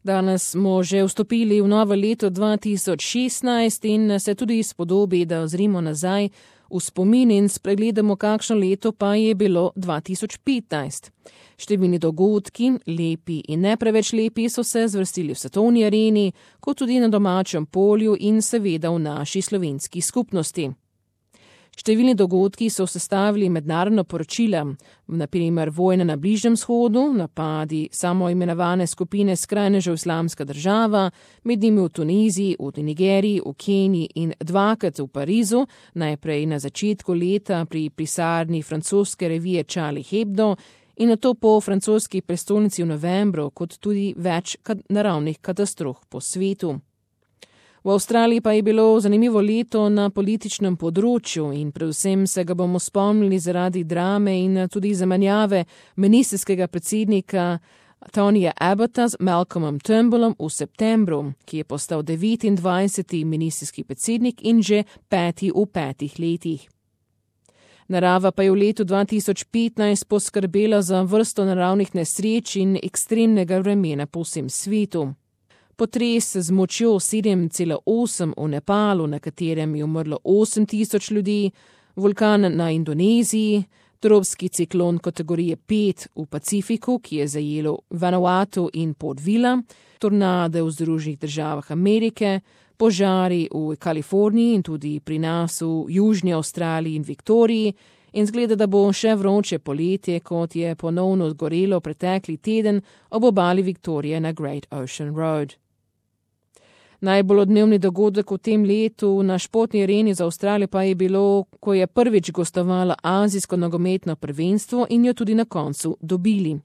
Danes smo že vstopili v novo leto 2016 in se tudi spodobi, da ozrimo nazaj v spomin in spregledamo, kakšno leto pa je bilo 2015. Številni dogodki, lepi in ne preveč lepi, so se zvrstili v svetovni areni, kot tudi na domačem polju in seveda v naši slovenski skupnosti. Številni dogodki so sestavili mednarodna poročila, na primer vojna na Bližnjem vzhodu, napadi samoimenovane skupine skrajnežev Islamska država, med njimi v Tuniziji, v Nigeriji, v Keniji in dvakrat v Parizu, najprej na začetku leta pri pisarni francoske revije Charlie Hebdo in nato po francoski prestolnici v novembru, kot tudi več naravnih katastrof po svetu. V Avstraliji pa je bilo zanimivo leto na političnem področju in predvsem se ga bomo spomnili zaradi drame in tudi zamenjave ministrskega predsednika Tonyja Abbotta z Malcolmom Turnbullom v septembru, ki je postal 29. ministrski predsednik in že 5. v 5 letih. Narava pa je v letu 2015 poskrbela za vrsto naravnih nesreč in ekstremnega vremena po vsem svetu. Potres z močjo 7,8 v Nepalu, na katerem je umrlo 8,000 ljudi, vulkan na Indoneziji, tropski ciklon kategorije 5 v Pacifiku, ki je zajelo Vanuatu in Port Vila, tornade v Združenih državah Amerike, požari v Kaliforniji in tudi pri nas v Južni Avstraliji in Viktoriji in zgleda, da bo še vroče poletje, kot je ponovno zgorelo pretekli teden ob obali Viktorije na Great Ocean Road. Najbolj odmevni dogodek v tem letu na športni areni za Avstralijo pa je bilo, ko je prvič gostovala azijsko nogometno prvenstvo in jo tudi na koncu dobili.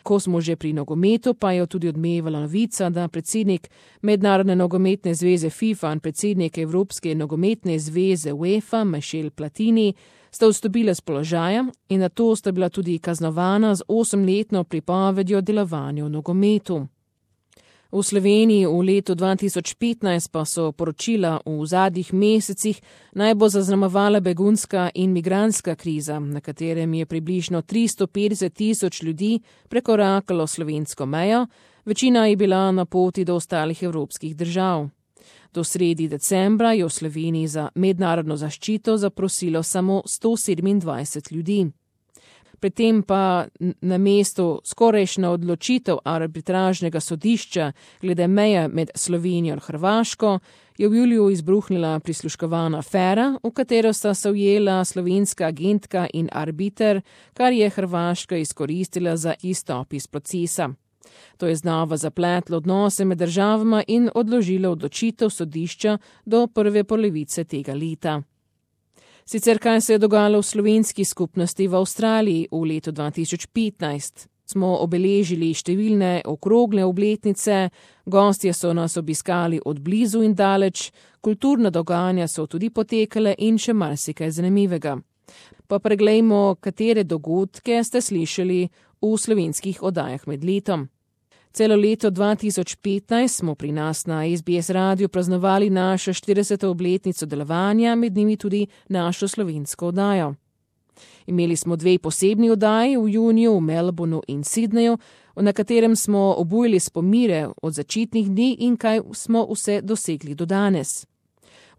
Ko smo že pri nogometu, pa je tudi odmevala novica, da predsednik Mednarodne nogometne zveze FIFA in predsednik Evropske nogometne zveze UEFA Michel Platini sta odstopila s položaja in nato sta bila tudi kaznovana z 8-letno pripovedjo delovanju v nogometu. V Sloveniji v letu 2015 pa so poročila v zadnjih mesecih najbolj zaznamovala begunska in migrantska kriza, na katerem je približno 350,000 ljudi prekorakalo slovensko mejo, večina je bila na poti do ostalih evropskih držav. Do sredi decembra je v Sloveniji za mednarodno zaščito zaprosilo samo 127 ljudi. Pri tem pa na mestu skorajšnja odločitev arbitražnega sodišča glede meje med Slovenijo in Hrvaško je v juliju izbruhnila prisluškovana afera, v katero sta se ujela slovenska agentka in arbiter, kar je Hrvaška izkoristila za izstop iz procesa. To je znova zapletlo odnose med državama in odložilo odločitev sodišča do prve polovice tega leta. Sicer kaj se je dogajalo v slovenski skupnosti v Avstraliji v letu 2015? Smo obeležili številne okrogle obletnice, gostje so nas obiskali od blizu in daleč, kulturna dogajanja so tudi potekale in še marsikaj zanimivega. Pa preglejmo, katere dogodke ste slišali v slovenskih oddajah med letom. Celo leto 2015 smo pri nas na SBS radiju praznovali našo 40. obletnico delovanja, med njimi tudi našo slovensko oddajo. Imeli smo 2 posebni oddaji v juniju v Melbourneu in Sydneyju, na katerem smo obujali spomine od začetnih dni in kaj smo vse dosegli do danes.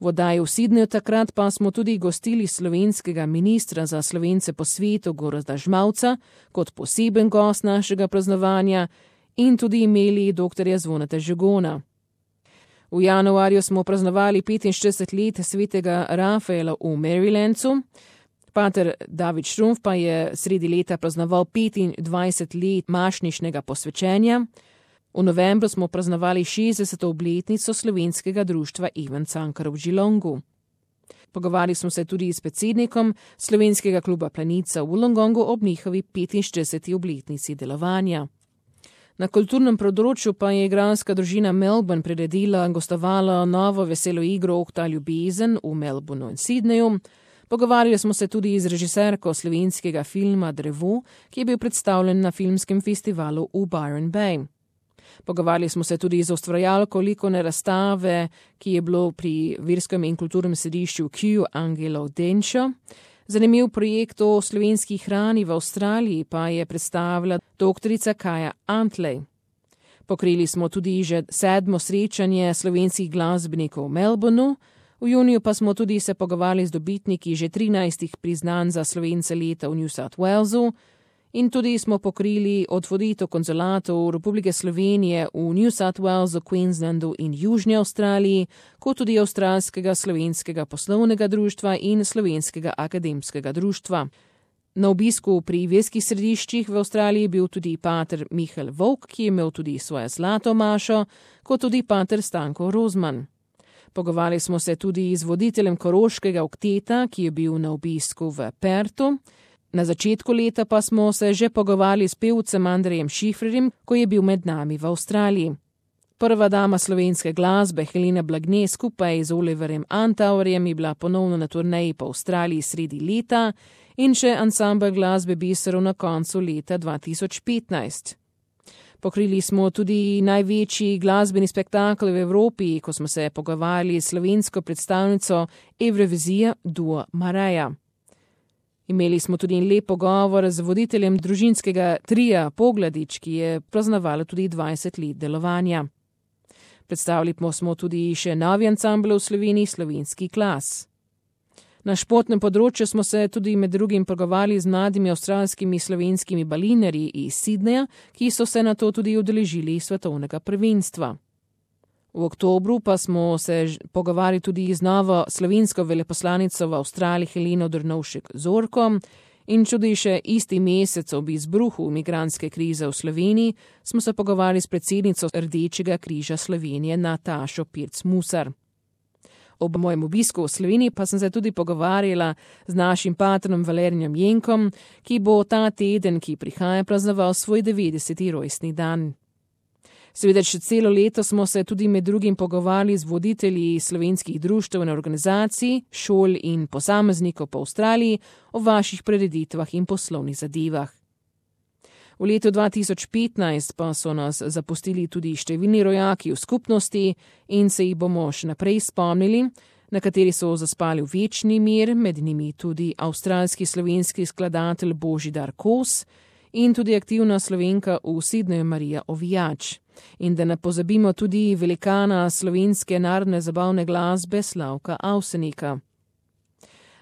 V oddaji v Sydneyju takrat pa smo tudi gostili slovenskega ministra za Slovence po svetu Gorazda Žmavca kot poseben gost našega praznovanja in tudi imeli dr. Zvoneta Žigona. V januarju smo praznovali 45 let svetega Rafaela v Marylandu. Pater David Štrumf pa je sredi leta praznoval 25 let mašnišnega posvečenja. V novembru smo praznovali 60. obletnico slovenskega društva Ivan Cankar v Geelongu. Pogovarjali smo se tudi s predsednikom slovenskega kluba Planica v Wollongongu ob njihovi 45. obletnici delovanja. Na kulturnem področju pa je igralska družina Melbourne priredila in gostovala novo veselo igro Ohta ljubezen v Melbourneu in Sydneyju. Pogovarjali smo se tudi z režiserko slovenskega filma Drevo, ki je bil predstavljen na filmskem festivalu v Byron Bay. Pogovarjali smo se tudi z ustvarjalko likovne razstave, ki je bilo pri verskem in kulturnem središču Q Angelo Denčo. Zanimiv projekt o slovenski hrani v Avstraliji pa je predstavila doktorica Kaja Antley. Pokrili smo tudi že 7. srečanje slovenskih glasbenikov v Melbourneu, v juniju pa smo tudi se pogovarjali z dobitniki že 13 priznanj za Slovence leta v New South Walesu in tudi smo pokrili otvoritev konzulatov Republike Slovenije v New South Walesu, Queenslandu in Južni Avstraliji, kot tudi Avstralskega slovenskega poslovnega društva in Slovenskega akademskega društva. Na obisku pri verskih središčih v Avstraliji je bil tudi pater Mihael Vovk, ki je imel tudi svojo zlato mašo, kot tudi pater Stanko Rozman. Pogovarjali smo se tudi z voditeljem koroškega okteta, ki je bil na obisku v Pertu. Na začetku leta pa smo se že pogovarjali s pevcem Andrejem Šifrerjem, ko je bil med nami v Avstraliji. Prva dama slovenske glasbe Helena Blagne skupaj z Oliverjem Antauerjem je bila ponovno na turneji po Avstraliji sredi leta in še ansambel glasbe Biserov na koncu leta 2015. Pokrili smo tudi največji glasbeni spektakel v Evropi, ko smo se pogovarjali s slovensko predstavnico Evrovizije Duo Mareja. Imeli smo tudi lep pogovor z voditeljem družinskega trija Pogladič, ki je praznovalo tudi 20 let delovanja. Predstavili smo tudi še novi ansambel v Sloveniji, Slovenski Klas. Na športnem področju smo se tudi med drugim pogovarjali z mladimi avstralskimi slovenskimi balinarji iz Sydneyja, ki so se na to tudi udeležili svetovnega prvenstva. V oktobru pa smo se pogovarjali tudi z novo slovensko veleposlanico v Avstraliji Heleno Drnovšek-Zorko in tudi še isti mesec ob izbruhu migrantske krize v Sloveniji smo se pogovarjali s predsednico Rdečega križa Slovenije Natašo Pirc-Musar. Ob mojem obisku v Sloveniji pa sem se tudi pogovarjala z našim patronom Valerijem Jenkom, ki bo ta teden, ki prihaja, praznoval svoj 90. rojstni dan. Seveda še celo leto smo se tudi med drugim pogovarjali z voditelji slovenskih društev in organizacij, šol in posameznikov po Avstraliji o vaših prireditvah in poslovnih zadevah. V letu 2015 pa so nas zapustili tudi številni rojaki v skupnosti in se jih bomo še naprej spomnili, nekateri so zaspali v večni mir, med njimi tudi avstralski slovenski skladatelj Božidar Kos in tudi aktivna Slovenka v Sydneyju Marija Ovijač. In da ne pozabimo tudi velikana slovenske narodne zabavne glasbe Slavka Avsenika.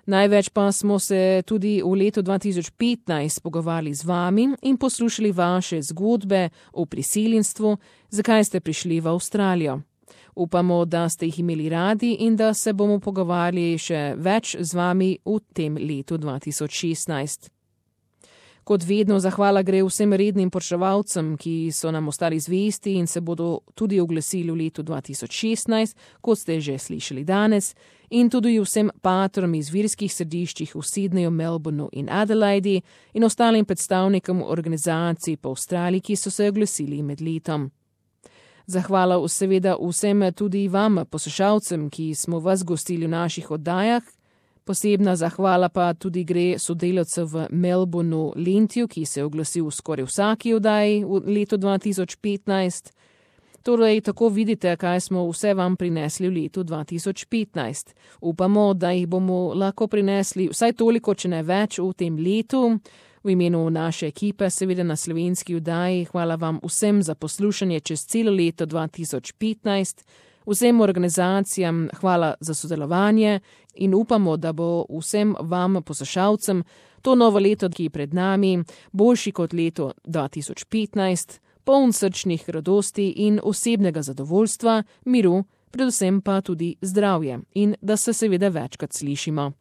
Največ pa smo se tudi v letu 2015 pogovarjali z vami in poslušali vaše zgodbe o priseljenstvu, zakaj ste prišli v Avstralijo. Upamo, da ste jih imeli radi in da se bomo pogovarjali še več z vami v tem letu 2016. Kot vedno zahvala gre vsem rednim poročevalcem, ki so nam ostali zvesti in se bodo tudi oglasili v letu 2016, kot ste že slišali danes, in tudi vsem patrom iz verskih središčih v Sydneyju, Melbourneu in Adelaidi in ostalim predstavnikom organizacij po Avstraliji, ki so se oglasili med letom. Zahvala seveda vsem tudi vam, poslušalcem, ki smo vas gostili v naših oddajah. Posebna zahvala pa tudi gre sodelavcu v Melbourneu Lentiju, ki se je oglasil v skoraj vsaki oddaji v letu 2015. Torej, tako vidite, kaj smo vse vam prinesli v letu 2015. Upamo, da jih bomo lahko prinesli vsaj toliko, če ne več v tem letu. V imenu naše ekipe, seveda na slovenski oddaji, hvala vam vsem za poslušanje čez celo leto 2015. Vsem organizacijam hvala za sodelovanje in upamo, da bo vsem vam, poslušalcem, to novo leto, ki je pred nami, boljši kot leto 2015, poln srčnih radosti in osebnega zadovoljstva, miru, predvsem pa tudi zdravje in da se seveda večkrat slišimo.